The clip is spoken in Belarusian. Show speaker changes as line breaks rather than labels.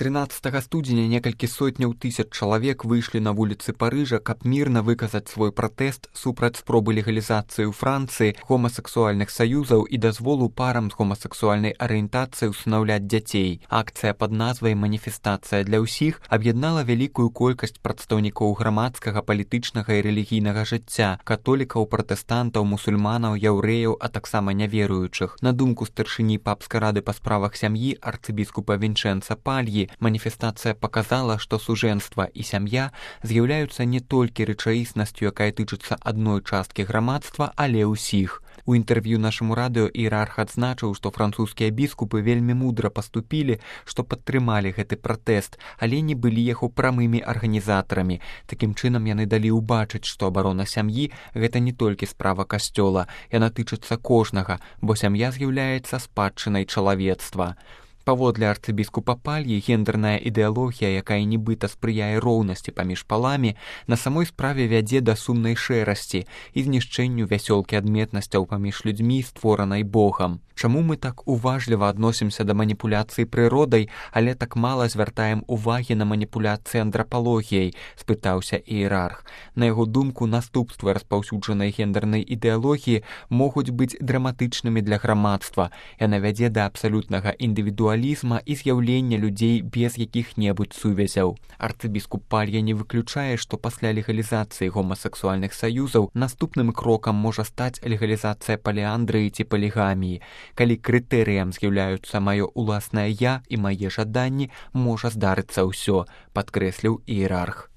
13 студзеня некалькі сотняў тысяч чалавек выйшлі на вуліцы Парыжа, каб мірна выказаць свой пратэст супраць спробы легалізацыі ў Францыі гомасексуальных саюзаў і дазволу парам з гомасексуальнай арыентацыяй усынаўляць дзяцей. Акцыя пад назвай «Маніфестацыя для ўсіх» аб'яднала вялікую колькасць прадстаўнікоў грамадскага, палітычнага і рэлігійнага жыцця, католікаў, пратэстантаў, мусульманаў, яўрэяў, а таксама няверуючых. На думку старшыні папскай рады па справах сям'і арцыбіскупа Вінчэнца Пальі, маніфестацыя паказала, што сужэнства і сям'я з'яўляюцца не толькі рэчаіснасцю, якая тычыцца адной часткі грамадства, але ўсіх. У інтэрв'ю нашаму радыё іерарх адзначыў, што французскія біскупы вельмі мудра паступілі, што падтрымалі гэты пратэст, але не былі яго прамымі арганізатарамі. Такім чынам яны далі ўбачыць, што абарона сям'і – гэта не толькі справа касцёла, яна тычыцца кожнага, бо сям'я з'яўляецца спадчынай чалавецтва. Паводле арцыбіскупа Пальі, гендерная ідэалогія, якая нібыта спрыяе роўнасці паміж паламі, на самой справе вядзе да сумнай шэрасці і знішчэнню вясёлкі адметнасцяў паміж людзьмі, створанай Богам. Чаму мы так уважліва адносімся да маніпуляцыі прыродай, але так мала звяртаем увагі на маніпуляцыі андрапалогіяй, спытаўся іерарх. На яго думку, наступствы распаўсюджанай гендернай ідэалогіі могуць быць драматычнымі для грамадства. Яна вядзе да абсалютнага індывідуалізма і з'яўлення людзей без якіх-небудзь сувязяў. Арцыбіскуп Палья не выключае, што пасля легалізацыі гомасексуальных саюзаў наступным крокам можа стаць легалізацыя паліандрыі ці палігаміі. Калі крытэрыям з'яўляюцца маё ўласнае «я» і мае жаданні, можа здарыцца ўсё, падкрэсліў іерарх.